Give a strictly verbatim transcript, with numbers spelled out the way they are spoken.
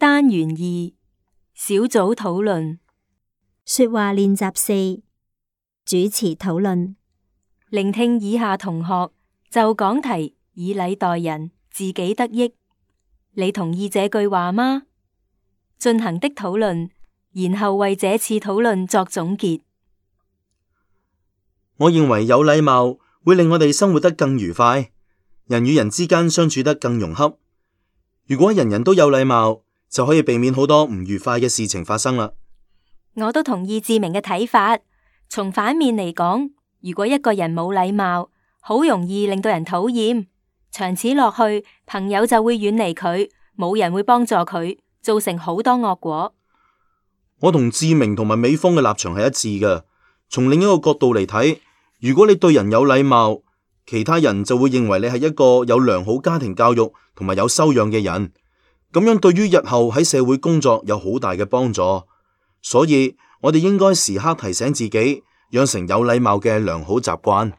單元二小組討論。說話練習四，主持討論。聆聽以下同學就講題以禮待人，自己得益。你同意這句話嗎？進行的討論，然後為這次討論作總結。我認為有禮貌會令我哋生活得更愉快，人與人之間相處得更融洽。如果人人都有禮貌，就可以避免好多唔愉快嘅事情發生啦。我都同意志明嘅睇法。從反面嚟講，如果一個人冇禮貌，好容易令到人討厭，長此落去，朋友就會遠離佢，冇人會幫助佢，造成好多惡果。我同志明同埋美峰嘅立場係一致嘅。從另一個角度嚟睇，如果你對人有禮貌，其他人就會認為你係一個有良好家庭教育同埋有修養嘅人，咁樣對於日後喺社會工作有好大嘅幫助。所以我哋應該時刻提醒自己，養成有禮貌嘅良好習慣。